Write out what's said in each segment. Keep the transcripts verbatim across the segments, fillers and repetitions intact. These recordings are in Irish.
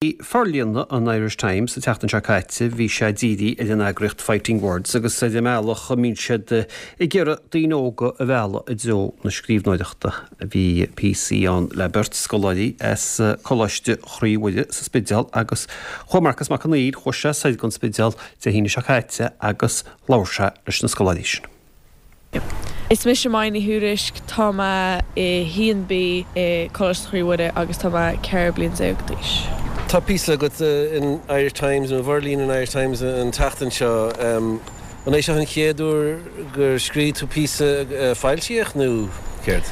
Forlíonadh an Irish Times sa tseachtain seo caite bhí sé dírithe ar an eagraíocht Fighting Words agus ar an mbealach a mbíonn siad ag iarraidh daoine óga a mhealladh i dtreo na scríbhneoireachta. Bhí píosaí ann le beirt scoláirí as Coláiste Chroí Mhuire sa Spidéal agus chuaigh Marcas Mac Conghail chuaigh sé soir don Spidéal Dé hAoine seo caite agus labhair sé leis na scoláirí sin. Is mise Maya Ní Thuairisg tá mé i haon B i Coláiste Chroí Mhuire agus tá mé ceithre bliana déag d'aois. Tá píosa agat in Irish Times nó bhforlíonadh an Irish Times an tseachtain seo. An é seo an chéad uair gur scríobh tú píosa foilsíodh nó céard?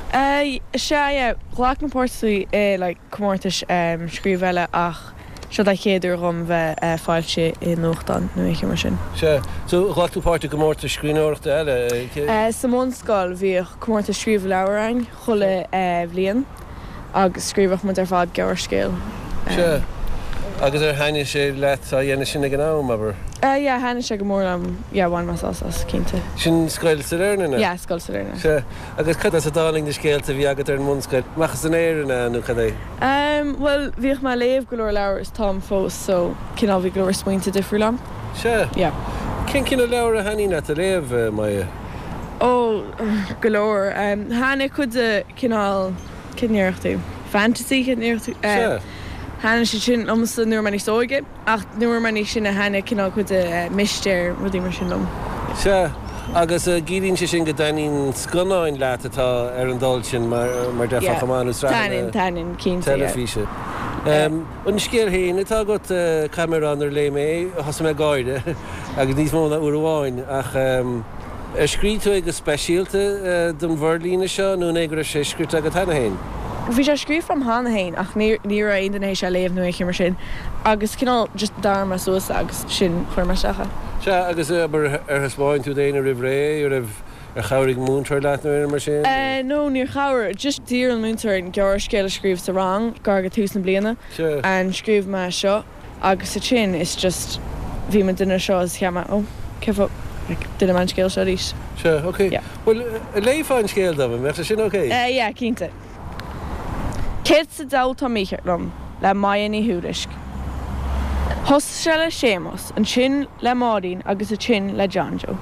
Sea, yeah, ghlac mé páirt i like comórtais scríobh eile ach seo an chéad uair dhom bheith foilsithe i nuachtán nó aon mar sin. Sea, so ghlac tú páirt i gcomórtas scríbhneoireachta eile? Sa mbunscoil bhíodh comórtas scríobh leabhar ann chuile bhliain agus scríobhadh muid ar fad gearrscéal. Sea, agus ar thaitnigh sé leat á dhéanamh sin ag an am, abair? Yeah, thaitnigh sé go mór liom, yeah, bhain mé sásamh as, cinnte. Sin Scoil Sailearna? Yeah, Scoil Sailearna. Sea, agus cad as a dtáinig na scéalta a bhí agat ar an mbunscoil? Amach as an aer an ea nó cad é? Um, well, bhíodh mé ag léamh go leor leabhar is táim fós, so cineál bhí go leor smaointe difriúil agam. Sea. Yeah. Cén cineál leabhar a thaitníonn leat a léamh, Maya? Ó, go leor. Um, thaitnigh cuid de cineál cén tú? Fantasy cén tú? Sea. Thaitnigh sé sin liomsa nuair mé níos óige ach nuair mé níos sine thaitnigh cineál cuid de mistéir rudaí mar sin liom. Sea, agus ciallaíonn sé sin go dtaitníonn scannáin leat atá ar an dul sin mar mar déarfá chomh maith nó sraitheanna Taitníonn, cinnte, yeah. teilifíse. An scéal féin atá agat caithfidh mé a rá nuair a léigh mé é, thosaigh mé ag gáire agus níos mó ná uair amháin ach ar scríobh tú é go speisialta don bhforlíonadh seo nó an é go raibh sé scrite agat cheana féin? Bhí sé scríofa agam cheana féin ach ní ní raibh aon duine théis é a léamh nó aon mar sin agus cineál just d'athraigh mé suas agus sin chuir mé isteach é. Sea, agus abair ar thaispeáin tú d'éinne roimh ré, ar raibh ar chabhraigh múinteoir leat nó aon mar sin? No, níor chabhraigh, just d'iarr an múinteoir an gearrscéal a scríobh sa rang gar go tús na bliana Sea. and scríobh mé seo agus ansin is just bhí mé duine seo is cheap mé ó cé fáth like duine mé an scéal seo arís. Sea, ok. Yeah. Bhuel, léifeá an scéal dom, an mbeadh sé sin ok? Uh, yeah, cinnte. Céard sa diabhal atá mícheart liom le Maya Ní Thuairisg. Thosaigh sé le Séamus, ansin le Máirín agus ansin le John Joe.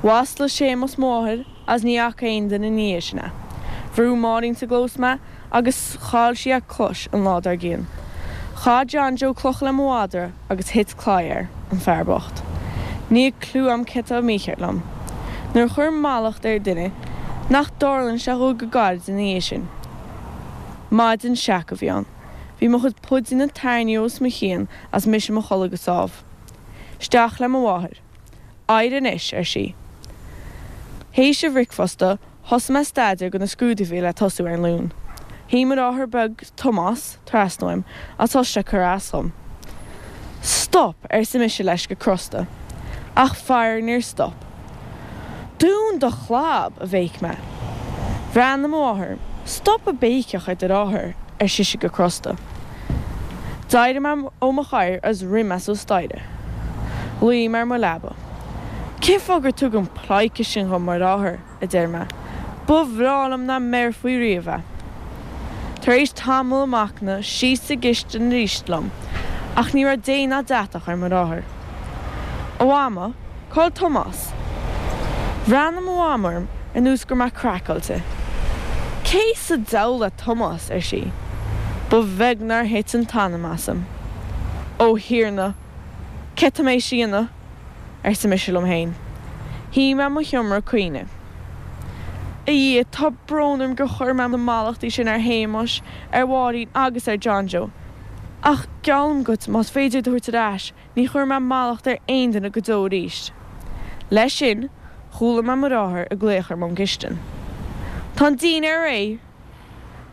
Mhaslaigh Séamus mo mháthair as ní fhaca aon duine ina dhiaidh sin é. Bhrú Máirín sa gclós mé agus chaill sí a cluais an lá dár gcionn. Chaith John Joe cloch le mo mhadra agus thit claí air, an fear bocht. Níl clue a'm céard atá mícheart liom. Nuair a chuirim mallacht ar duine nach dtarlaíonn sé dhó go gairid ina dhiaidh sin. Maidin seaca a bhí ann. Bhí mo chuid puidinne tarraingthe os mo chionn as mise mo chodladh go sámh. Isteach le mo mháthair. Éirigh anois, ar sí. Théis an bhricfeasta, thosaigh mé staidéar do na scrúduithe a bhí le tosú ar an Luan. Shuigh mo dheartháir beag Tomás trasna uaim as thosaigh sé cur as dom. Stop, arsa mise leis go crosta. Ach faraor níor stop. Dún do chlab, a bhéic mé. Bhreathnaigh mo mháthair, Stop ag béiceach ar do dheartháir, ar sise go crosta. D'éirigh mé ó mo chathaoir agus rith mé suas staighre. Luigh mé ar mo leaba. Cén fáth gur tugadh an pleidhce sin dhom mar dheartháir, a deir mé. Ba bhreá liom nach mbéarfaí riamh é. Tar éis tamall machnaimh síos sa gcistin arís liom, ach ní raibh dé ná deatach ar mo dheartháir. A mhama, cá bhfuil Tomás? Bhreathnaigh mo mham orm ar nós go raibh mé craiceáilte. Cé sa diabhal é Tomás, ar sí. Ba bheag nár thit an t-anam asam. Ó Thiarna, cé tá mé a dhéanamh? arsa mise liom féin. Shuigh mé i mo sheomra ag caoineadh. A Dhia, tá brón orm gur chuir mé na mallachtaí sin ar Shéamus, ar Mháirín agus ar John Joe. Ach geallaim duit más féidir iad a thabhairt ar ais, ní chuirfidh mé mallacht ar aon duine go deo arís. Leis sin, chuala mé mo dheartháir ag glaoch orm ón gcistin. Tá an dinnéar réidh!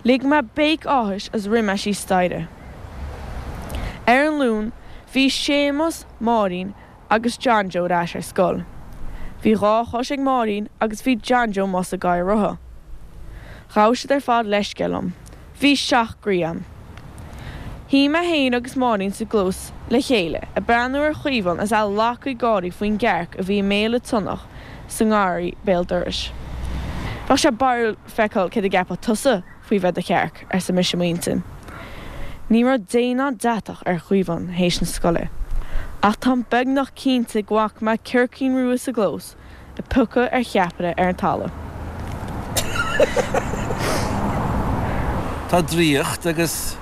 Lig mé béic áthais as rith mé síos staighre. Ar an Luan, bhí Séamus, Máirín agus John Joe ar ais ar scoil. Bhí dhá chois ag Máirín agus bhí John Joe amuigh sa gcathaoir rotha. Ghabh siad ar fad leithscéal liom. Bhí seacht gcroí a'm. Shuigh mé féin agus Máirín sa gclós le chéile ag breathnú ar Chaomhán is é ag laghadh gáirí faoin gcearc a bhí i mbéal an tsionnach sa ngarraí béal dorais. Bheadh sé barrúil feiceáil céard a gceapfá tusa faoi bheith i do chearc, arsa mise i m'intinn. Ní raibh dé ná deatach ar Chaomhán théis na scoile. Ach táim beagnach cinnte go bhfaca mé circín rua sa gclós ag piocadh ar cheapaire ar an talamh. Tá draíocht agus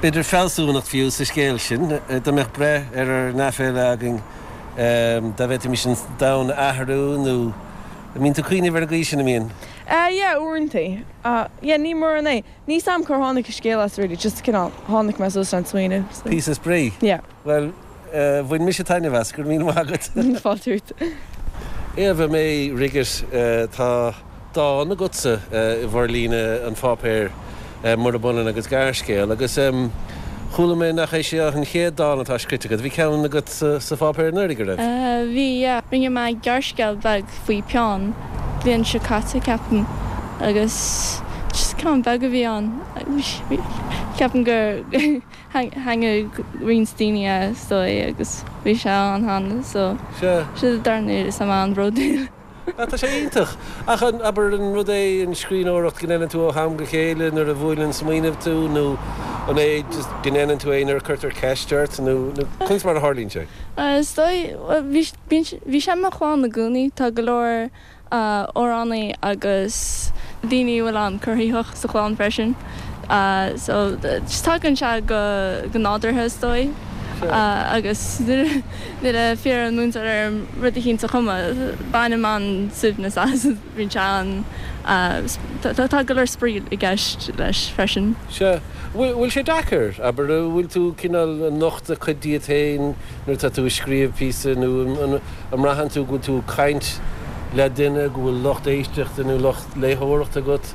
b'fhéidir fealsúnacht fiú sa scéal sin. Dá mbeadh breith ar ár n-aiféala againn dá bhféadfaimis an domhan a athrú nó an mbíonn tú ag cuimhneamh ar an gcaoi sin, an mbíonn? Eh yeah, uaireanta. Yeah, ní mórán é. Níl 's a'm cár tháinig an scéal as really, just cineál tháinig mé suas leis an smaoineamh so. Píosa spraoi. Yeah. Bhuel, bhain mise taitneamh as, go raibh míle maith agat. Fáilte romhat. Éabha May Riggott, tá dán agatsa i bhforlíonadh an pháipéir, murab ionann agus gearrscéal, agus chuala mé nach é seo an chéad dán atá scríte agat, bhí ceann agat sa pháipéar anuraidh, an raibh? Bhí, yeah. Rinne mé gearrscéal beag faoi peann, bliain seo caite, ceapaim, agus just ceann beag a bhí ann. Ceapaim gur thaitnigh roinnt daoine is dóigh agus bhí sé ann cheana so sin an darna huair is tá mé an-bhródúil. Ah, tá sé iontach! Ach an, abair, an rud é an scríbhneoireacht go ndéanann tú ó am go chéile nuair a bhuaileann smaoineamh tú nó an é just go ndéanann tú é nuair a cuirtear ceist ort nó, nó conas mar a tharlaíonn sé? Is dóigh, bhuel, bhí, bíonn, bhí sé i mo chlann i gcónaí, tá go leor amhránaí agus daoine a bhfuil an-chruthaitheach sa chlann freisin so just tagann sé go go nádúrtha is dóigh agus nuair a d'iarr an múinteoir orm rud eicínt a chumadh bainim an-suaimhneas as bíonn sé an tá go leor spraoi i gceist leis freisin. Sea. Bhfuil sé deacair, abair, an bhfuil tú cineál ag nochtadh cuid díot féin nuair atá tú ag scríobh píosa nó an mbraitheann tú go bhfuil tú ag caint le duine, go bhfuil lucht éisteachta nó lucht léitheoireachta agat?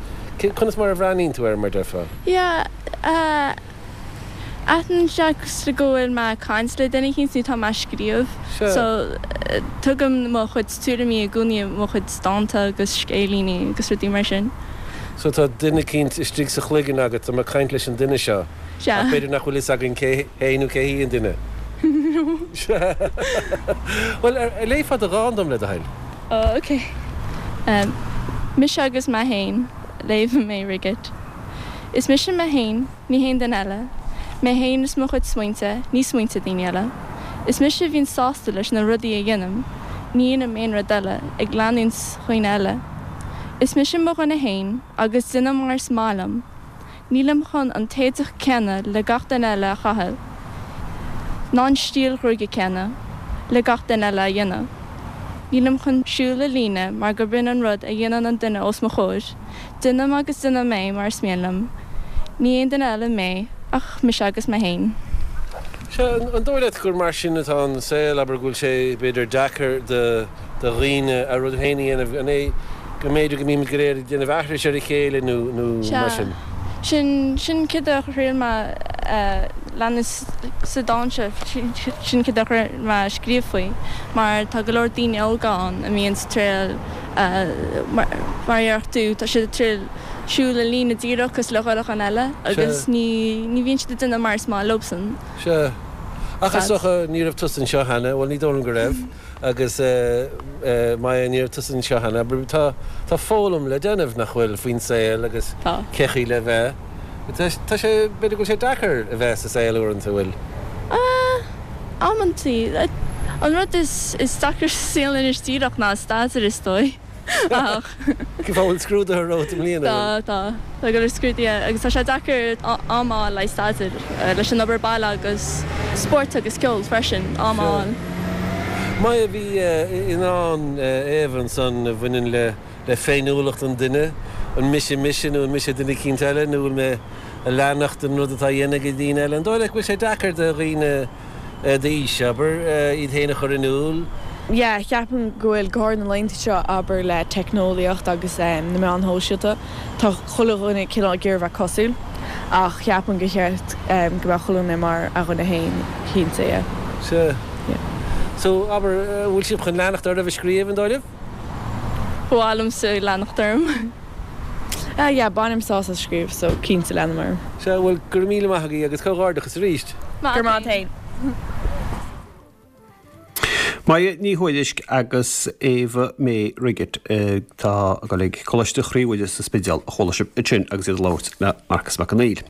Conas mar a bhreathnaíonn tú air, mar déarfá? Yeah, aithníonn sé go bhfuil mé ag caint le duine eicínt nó tá mé ag scríobh. So, tugaim mo chuid tuairimí i gcónaí i mo chuid dánta agus scéilíní agus rudaí mar sin. So tá duine eicínt istigh sa chloigeann agat, tá mé ag caint leis an duine seo. Sea. Ach b'fhéidir nach bhfuil fhios againn cé hé nó cé hí an duine. Sea. Bhuel, ar léifeá do dhán dom, le do thoil? Oh, ok. Mise agus mé féin, le Éabha May Riggott. Is mise mé féin, ní haon duine eile. Mé féin is mo chuid smaointe, ní smaointe daoine eile. Is mise a bhíonn sásta leis na rudaí a dhéanaim, ní dhéanaim aon rud eile, ag leanúint dhaoine eile. Is mise mo dhuine féin agus déanaim mar is maith liom. Nílim chun an t-éadach céanna le gach duine eile a chaitheamh, ná an stíl ghruaige céanna le gach duine eile a dhéanamh. Nílim chun siúl i líne mar gurb in an rud a dhéanann an duine os mo chomhair. Déanaim agus déanaim é mar is mian liom. Ní aon duine eile mé ach mise agus mé féin. Sea, an dóigh leat gur mar sin atá an saol, abair, go bhfuil sé, b'fhéidir, deacair do dhaoine a rud féin a dhéanamh, an é go mb'fhéidir go mbímid go léir ag déanamh aithris ar a chéile nó nó mar Sea, sin? sin, sin céard a thriail mé a leanúint sa dán seo, sin céard a thriail mé a scríobh faoi, mar tá go leor daoine óga ann a mbíonn ag triail, mar a déarfadh tú, tá siad ag triail siúl i líne díreach cosúil le chuile dhuine eile agus Sea. ní, ní bhíonn siad ag déanamh mar is maith leobsan. Sea. Ach is Sad. dócha, ní raibh tusa anseo cheana, bhuel ní dóigh liom go raibh, agus Maya, ní raibh tusa anseo cheana, but tá, tá foghlaim le déanamh, nach bhfuil, faoin saol agus Tá. cé chaoi le bheith. Tá, tá sé, b'fhéidir go bhfuil sé deacair a bheith sa saol uaireanta, an bhfuil? Ah, amantaí. An rud is, is deacra sa saol anois díreach ná staidéar is dóigh. Ach. Cén fáth, bhfuil scrúduithe romhat i mbliana, Tá, bhfuil? tá. Tá go leor scrúduithe agus tá sé deacair am a fháil le staidéar, leis an obair baile agus spórt agus ceol freisin, am a Sea. fháil. Maya, bhí i ndán Éabha ansan a bhaineann le le féiniúlacht an duine, an mise mise nó an mise duine eicínt eile nó bhfuil mé ag leanacht an rud atá á dhéanamh ag daoine eile? An dóigh leat go bhfuil sé deacair do dhaoine d'aois, abair, iad féin a chur in iúl? Yeah, ceapaim go bhfuil, go háirid na laethanta seo, abair, le teicneolaíocht agus na meáin shóisialta, tá chuile dhuine cineál ag iarraidh bheith cosúil, ach ceapaim gur cheart go mbeadh chuile dhuine mar a dhuine féin, cinnte, yeah. Sea. Yeah. So, abair, an bhfuil sibh chun leanacht oraibh ag scríobh, an dóigh libh? Ba mhaith liomsa leanacht orm. Ah yeah, bainim sásamh as scríobh, so cinnte leanfaidh mé orm. Sea, bhuel, go raibh míle maith agaibh agus comhghairdeachas arís. Go raibh maith agat féin. Maya Ní Thuairisg agus Éabha May Riggott atá ag dul ag Coláiste Chroí Mhuire sa Spidéal a chuala sibh ansin agus iad ag labhairt le Marcas Mac Conghail.